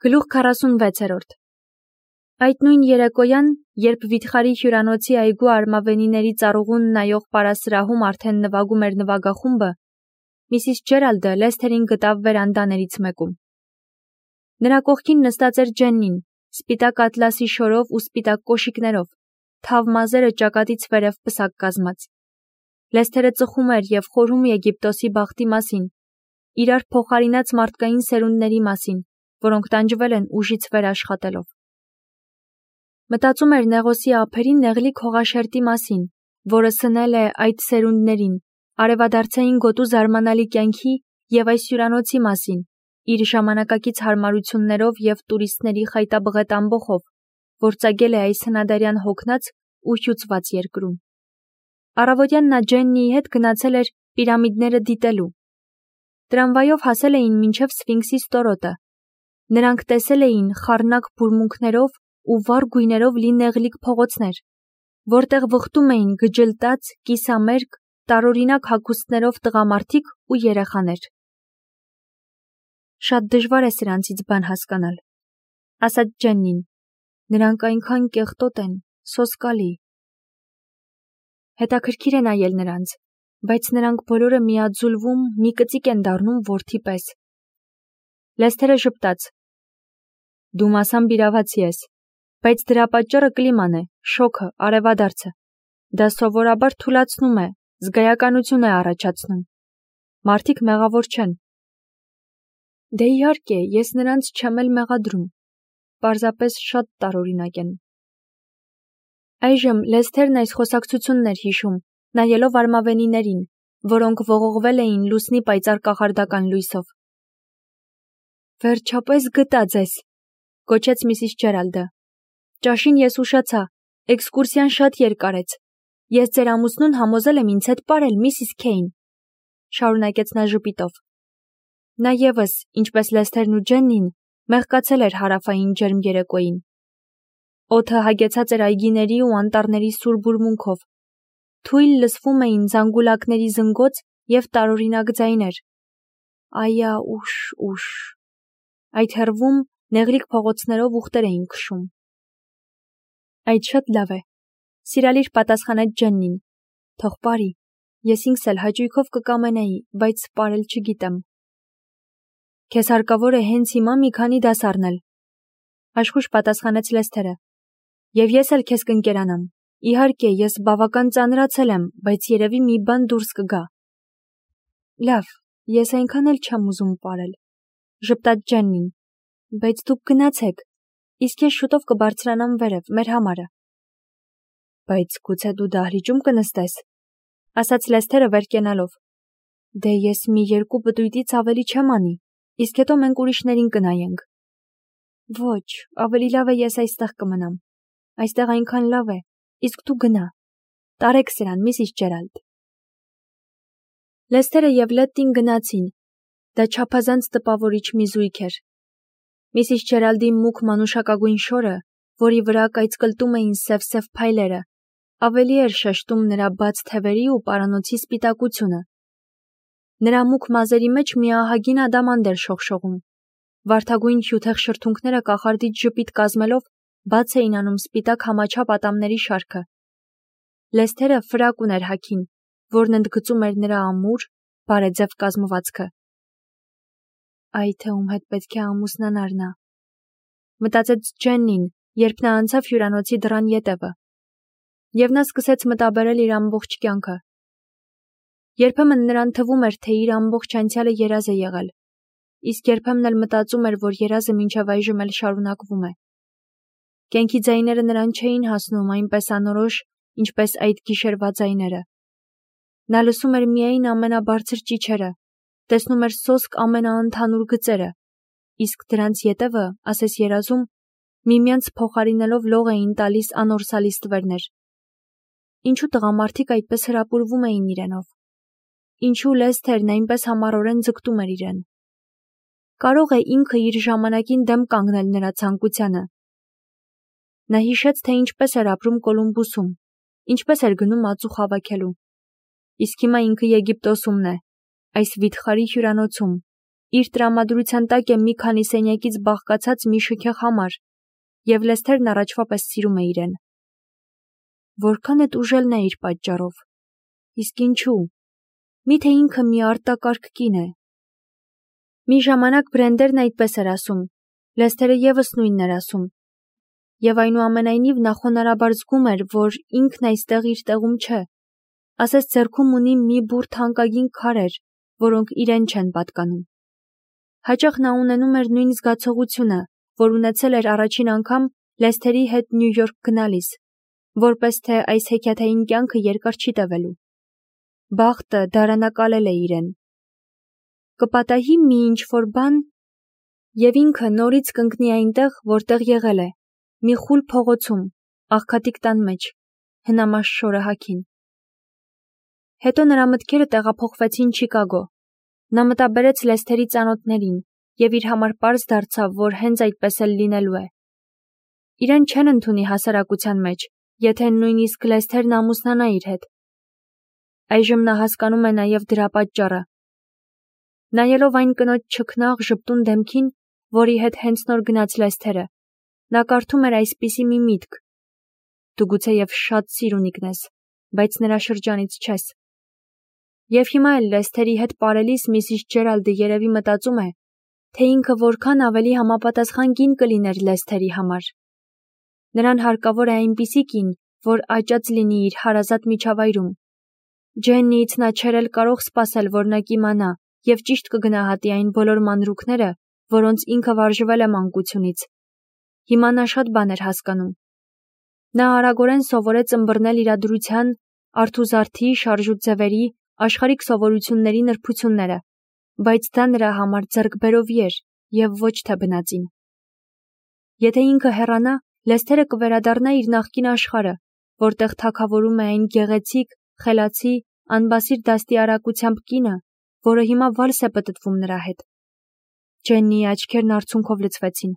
Գլուխ 46 Այդ նույն երեկոյան, երբ վիթխարի հյուրանոցի այգու արմավենիների ծառուղուն նայող պարասրահում արդեն նվագում էր նվագախումբը, Միսիս Ջերալդը Լեսթերին գտավ վերանդաներից մեկում։ Նրա կողքին նստած էր Ջեննին, սպիտակ ատլասի շորով ու սպիտակ կոշիկներով, թավ մազերը ճակատից վերև պսակ կազմած։ Լեսթերը ծխում էր և խորհում Եգիպտոսի բախտի մասին, իրար փոխարինած մարդկային սերունդների մասին, որոնք տանջվել են ուժից վեր աշխատելով։ Մտածում էր Նեղոսի ափերի նեղլիկ հողաշերտի մասին, որը սնել է այդ սերունդներին, արևադարձային գոտու զարմանալի կյանքի և այս հյուրանոցի մասին, իր ժամանակակից հարմարություններով և տուրիստների խայտաբղետ ամբոխով, որ ծագել է այս հնադարյան հոգնած ու հյուծված երկրում։ Առավոտյան նա Ջեննիի հետ գնացել էր պիրամիդները դիտելու։ Տրամվայով հասել էին մինչև Սֆինքսի ստորոտը։ Նրանք տեսել էին խառնակ բուրմունքներով ու վառ գույներով լի նեղլիկ փողոցներ, որտեղ վխտում էին գջլտած, կիսամերկ, տարօրինակ հագուստներով տղամարդիկ ու երեխաներ։ Շատ դժվար է սրանցից բան հասկանալ, ասաց Ջեննին։ Նրանք այնքան կեղտոտ են, սոսկալի։ Հետաքրքիր է նայել նրանց, բայց նրանք բոլորը միաձուլվում, մի կծիկ են դառնում որդի պես։ Լեսթերը ժպտաց։ Դու մասամբ իրավացի ես, բայց դրա պատճառը կլիման է, շոքը, արևադարձը։ Դա սովորաբար թուլացնում է, զգայականություն է առաջացնում։ Մարդիկ մեղավոր չեն։ Դե իհարկե, ես նրանց չեմ էլ մեղադրում, պարզապես շատ տարօրինակ են։ Այժմ Լեսթերն այս խոսակցությունն էր հիշում, նայելով արմավենիներին, որոնք ողողվել էին լուսնի պայծառ կախարդական լույսով։ Վերջապես գտա ձեզ, գոչեց Միսիս Ջերալդը։ Ճաշին ես ուշացա, էքսկուրսիան շատ երկարեց։ Ես ձեր ամուսնուն համոզել եմ ինձ հետ պարել, Միսիս Քեյն, շարունակեց նա ժպիտով։ Նա ևս, ինչպես Լեսթերն ու Ջեննին, մեղկացել էր հարավային ջերմ երեկոյին։ Օդը հագեցած էր այգիների ու անտառների սուր բուրմունքով։ Թույլ լսվում էին զանգուլակների զնգոց և տարօրինակ ձայներ։ Այա, ուշ։ Այդ հեռվում նեղլիկ փողոցներով ուղտեր էին քշում։ Այդ շատ լավ է, սիրալիր պատասխանեց Ջեննին։ Թող պարի, ես ինքս էլ հաճույքով կկամենայի, բայց պարել չգիտեմ։ Քեզ հարկավոր է հենց հիմա մի քանի դաս առնել, աշխույժ պատասխանեց Լեսթերը։ Եվ ես էլ քեզ կընկերանամ։ Իհարկե, ես բավական ծանրացել եմ, բայց երևի մի բան դուրս կգա։ Լավ, ես այնքան էլ չեմ ուզում պարել, ժպտաց Ջեննին, բայց դուք գնացեք, իսկ ես շուտով կբարձրանամ վերև, մեր համարը։ Բայց գուցե դու դահլիճում կնստես, ասաց Լեսթերը վեր կենալով։ Դե ես մի 2 պտույտից ավելի չեմ անի, իսկ հետո մենք ուրիշներին կնայենք։ Ոչ, ավելի լավ է ես այստեղ կմնամ։ Այստեղ այնքան լավ է, իսկ դու գնա։ Տարեք սրան, Միսիս Ջերալդ։ Լեսթերը և Լետտին գնացին։ Դա չափազանց տպավորիչ մի զույգ էր։ Միսիս Ջերալդի մուգ մանուշակագույն շորը, որի վրա կայծկլտում էին սև փայլերը, ավելի էր շեշտում նրա բաց թևերի ու պարանոցի սպիտակությունը։ Նրա մուգ մազերի մեջ մի ահագին ադամանդ էր շողշողում։ Վարդագույն հյութեղ շրթունքները կախարդից ժպիտ կազմելով բաց էին անում սպիտակ համաչափ ատամների շարքը։ Լեսթերը ֆրակ ուներ հագին, որն ընդգծում էր նրա ամուր, բարեձև կազմվածքը։ Այ թե ում հետ պետք է ամուսնանար նա, մտածեց Ջեննին, երբ նա անցավ հյուրանոցի դռան ետևը։ Եվ նա սկսեց մտաբերել իր ամբողջ կյանքը։ Երբեմն նրան թվում էր, թե իր ամբողջ անցյալը երազ է եղել, իսկ երբեմն էլ մտածում էր, որ երազը մինչև այժմ էլ շարունակվում է։ Կյանքի ձայները նրան չէին հասնում այնպես անորոշ, ինչպես այդ գիշերվա ձայները։ Նա լսում էր միայն ամենաբարձր ճիչերը, տեսնում էր սոսկ ամենաընդհանուր գծերը, իսկ դրանց ետևը, ասես երազում, միմյանց փոխարինելով լող էին տալիս անորսալի ստվերներ։ Ինչու տղամարդիկ այդպես հրապուրվում էին իրենով։ Ինչու Լեսթերն այնպես համառորեն ձգտում էր իրեն։ Կարող է ինքը իր ժամանակին դեմ կանգնել նրա ցանկությանը։ Նա հիշեց, թե ինչպես էր ապրում Կոլումբուսում, ինչպես էր գնում ածուխ հավաքելու։ Իսկ հիմա ինքը Եգիպտոսումն է, այս վիթխարի հյուրանոցում, Իր տրամադրության տակ է մի քանի սենյակից բաղկացած մի շքեղ համար, և Լեսթերն առաջվա պես սիրում է իրեն։ Որքան էդ ուժելն է իր պատճառով։ Իսկ ինչու։ Միթե ինքը մի արտակարգ կին է։ Մի ժամանակ Բրենդերն այդպես էր ասում, Լեսթերը ևս նույնն էր ասում։ Եվ այնուամենայնիվ նա խոնարհաբար զգում էր, որ ինքն այստեղ իր տեղում չէ, ասես ձեռքում ունի մի բուռ թանկագին քարեր, որոնք իրեն չեն պատկանում։ Հաճախ նա ունենում էր նույն զգացողությունը, որ ունեցել էր առաջին անգամ Լեսթերի հետ Նյու Յորք գնալիս, որպես թե այս հեքիաթային կյանքը երկար չի տևելու։ Բախտը դարանակալել է իրեն։ Կպատահի մի ինչ-որ բան, և ինքը նորից կընկնի այնտեղ, որտեղ եղել է, մի խուլ փողոցում, աղքատիկ տան մեջ, հնամաշ շորահաքին։ Հետո նրա մտքերը տեղափոխվեցին Չիկագո։ Նա մտաբերեց Լեսթերի ծանոթներին, և իր համար պարզ դարձավ, որ հենց այդպես էլ լինելու է։ Իրեն չեն ընդունի հասարակության մեջ, եթե նույնիսկ Լեսթերն ամուսնանա իր հետ։ Այժմ նա հասկանում է նաև դրա պատճառը։ Նայելով այն կնոջ չքնաղ ժպտուն դեմքին, որի հետ հենց նոր գնաց Լեսթերը, նա կարդում էր այսպիսի մի միտք. դու գուցեև շատ սիրունիկն ես, բայց նրա շրջանից չես։ Եվ հիմա էլ Լեսթերի հետ պարելիս Միսիս Ջերալդը երևի մտածում է, թե ինքը որքան ավելի համապատասխան կին կլիներ Լեսթերի համար։ Նրան հարկավոր է այնպիսի կին, որ աճած լինի իր հարազատ միջավայրում։ Ջեննիից նա չէր էլ կարող սպասել, որ նա կիմանա և ճիշտ կգնահատի այն բոլոր մանրուքները, որոնց ինքը վարժվել է մանկությունից։ Հիմա նա շատ բան էր հասկանում։ Նա արագորեն սովորեց ըմբռնել իրադրության, արթուզարդի, շարժու ձևերի, աշխարհիկ սովորությունների նրբությունները, բայց դա նրա համար ձեռքբերովի էր և ոչ թե բնածին։ Եթե ինքը հեռանա, Լեսթերը կվերադառնա իր նախկին աշխարհը, որտեղ թագավորում է այն գեղեցիկ, խելացի, անբասիր դաստիարակությամբ կինը, որը հիմա վալս է պտտվում նրա հետ։ Ջեննիի աչքերն արցունքով լցվեցին։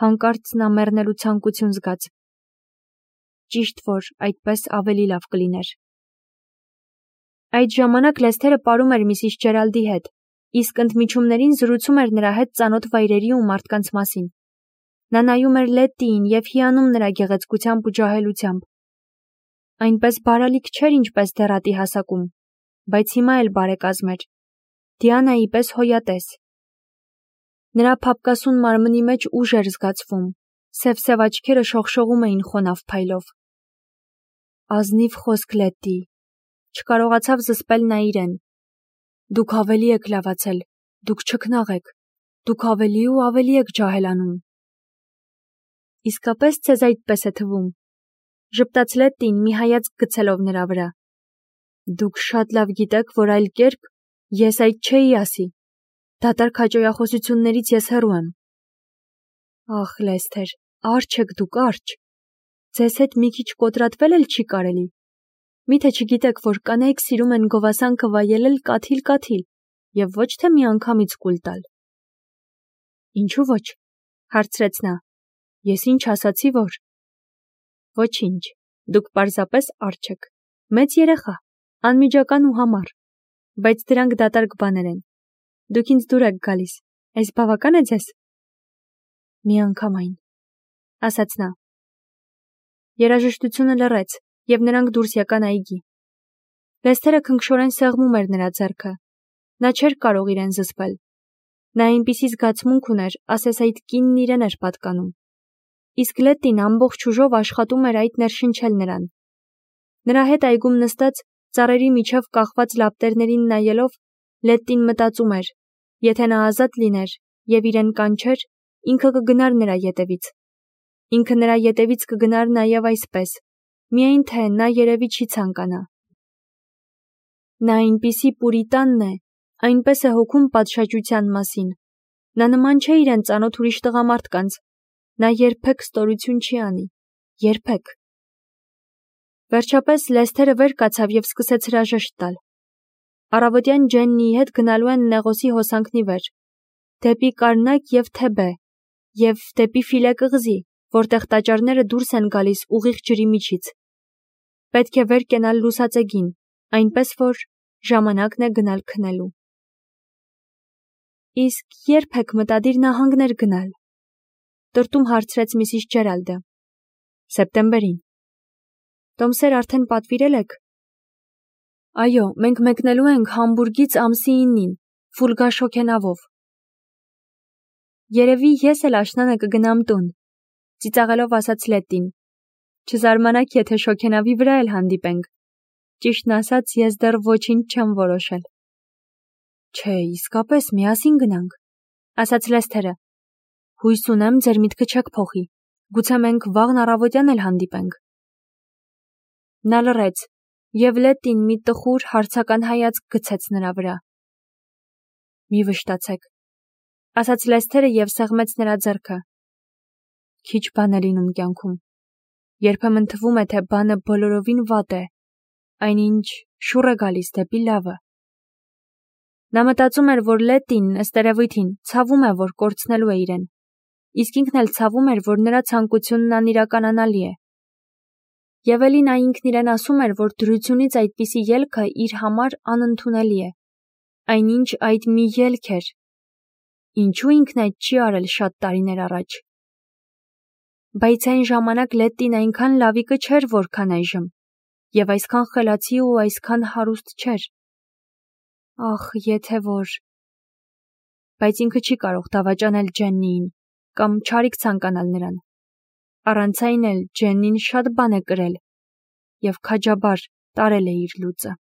Հանկարծ նա մեռնելու ցանկություն զգաց։ Ճիշտ որ այդպես ավելի լավ կլիներ։ Այդ ժամանակ Լեսթերը պարում էր Միսիս Ջերալդի հետ, իսկ ընդմիջումներին զրուցում էր նրա հետ ծանոթ վայրերի ու մարդկանց մասին։ Նա նայում էր Լետտիին և հիանում նրա գեղեցկությամբ ու ջահելությամբ։ Այնպես բարալիկ չէր, ինչպես դեռատի հասակում, բայց հիմա էլ բարեկազմ էր։ Դիանայի պես հոյատես։ Նրա փափկասուն մարմնի մեջ ուժ էր զգացվում, սև-սև աչքերը շողշողում էին խոնավ փայլով։ Ազնիվ խոսք Լետտի, չկարողացավ զսպել նա իրեն։ Դուք ավելի եք լավացել, դուք չքնաղ եք, դուք ավելի ու ավելի եք ջահելանում։ Իսկապես ձեզ այդպես է թվում, ժպտաց Լետտին մի հայացք գցելով նրա վրա։ Դուք շատ լավ գիտեք, որ այլ կերպ ես այդ չէի ասի։ Դատարկ հաճոյախոսություններից ես հեռու եմ։ Ախ, Լեսթեր, արջ եք դուք, արջ։ Ձեզ հետ մի քիչ կոտրատվել էլ չի կարելի։ Միթե չգիտեք, որ կանայք սիրում են գովասանքը վայելել կաթիլ-կաթիլ և ոչ թե միանգամից կուլ տալ։ Ինչու ոչ, հարցրեց նա։ Ես ինչ ասացի, որ։ Ոչինչ, դուք պարզապես արջ եք։ Մեծ երեխա, անմիջական ու համառ, բայց դրանք դատարկ բաներ են։ Դուք ինձ դուր եք գալիս, այս բավական է ձեզ։ Միանգամայն, ասաց նա։ Երաժշտությունը լռեց, և նրանք դուրս եկան այգի։ Լեսթերը քնքշորեն սեղմում էր նրա ձեռքը։ Նա չէր կարող իրեն զսպել։ Նա այնպիսի զգացմունք ուներ, ասես այդ կինն իրեն էր պատկանում։ Իսկ Լետտին ամբողջ ուժով աշխատում էր այդ ներշնչել նրան։ Նրա հետ այգում նստած, ծառերի միջև կախված լապտերներին նայելով, Լետտին մտածում էր, եթե նա ազատ լիներ և իրեն կանչեր, ինքը կգնար նրա ետևից։ Ինքը նրա ետևից կգնար նաև այսպես, միայն թե նա երևի չի ցանկանա։ Նա այնպիսի պուրիտանն է, այնպես է հոգում պատշաճության մասին։ Նա նման չէ իրեն ծանոթ ուրիշ տղամարդկանց։ Նա երբեք ստորություն չի անի։ Երբեք։ Վերջապես Լեսթերը վեր կացավ և սկսեց հրաժեշտ տալ։ Առավոտյան Ջեննիի հետ գնալու են Նեղոսի հոսանքնի վեր, դեպի Կարնակ և Թեբե, և դեպի Ֆիլե կղզի, որտեղ տաճարները դուրս են գալիս ուղիղ ջրի միջից։ Պետք է վեր կենալ լուսածեգին, այնպես որ ժամանակն է գնալ քնելու։ Իսկ երբ եք մտադիր նահանգներ գնալ։ Տրտում հարցրեց Միսիս Ջերալդը։ Սեպտեմբերին։ Տոմսեր արդեն պատվիրել եք։ Այո, մենք մեկնելու ենք Համբուրգից ամսի 9-ին, Ֆուլգա շոգենավով։ Երևի ես էլ աշնանը կգնամ տուն, ծիծաղելով ասաց Լետտին։ Չզարմանաք, եթե շոգենավի վրա էլ հանդիպենք։ Ճիշտն ասած, ես դեռ ոչինչ չեմ որոշել։ Չէ, իսկապես միասին գնանք, ասաց Լեսթերը։ Հույս ունեմ, ձեր միտքը չեք փոխի։ Գուցե մենք վաղն առավոտյան էլ հանդիպենք։ Նա լռեց, եւ Լետտին մի տխուր հարցական հայացք գցեց նրա վրա։ Մի վշտացեք, ասաց Լեսթերը եւ սեղմեց նրա ձեռքը։ Քիչ բան է լինում կյանքում։ Երբեմն թվում է, թե բանը բոլորովին վատ է, այնինչ շուռ է գալիս դեպի լավը։ Նա մտածում էր, որ Լետտին, ըստ երևույթին, ցավում է, որ կորցնելու է իրեն, իսկ ինքն էլ ցավում էր, որ նրա ցանկությունն անիրականանալի է։ Եվ էլի նա ինքն իրեն ասում էր, որ դրությունից այդպիսի ելքը իր համար անընդունելի է, այնինչ այդ մի ելք էր։ Ինչու ինքն այդ չի արել շատ տարիներ առաջ։ Բայց այն ժամանակ Լետտին այնքան լավիկը չէր, որքան այժմ, եւ այսքան խելացի ու այսքան հարուստ չէր։ Ախ, եթե որ… Բայց ինքը չի կարող դավաճանել Ջեննիին կամ չարիք ցանկանալ նրան։ Առանց այն էլ Ջեննին շատ բան է կրել եւ քաջաբար տարել է իր լուծը։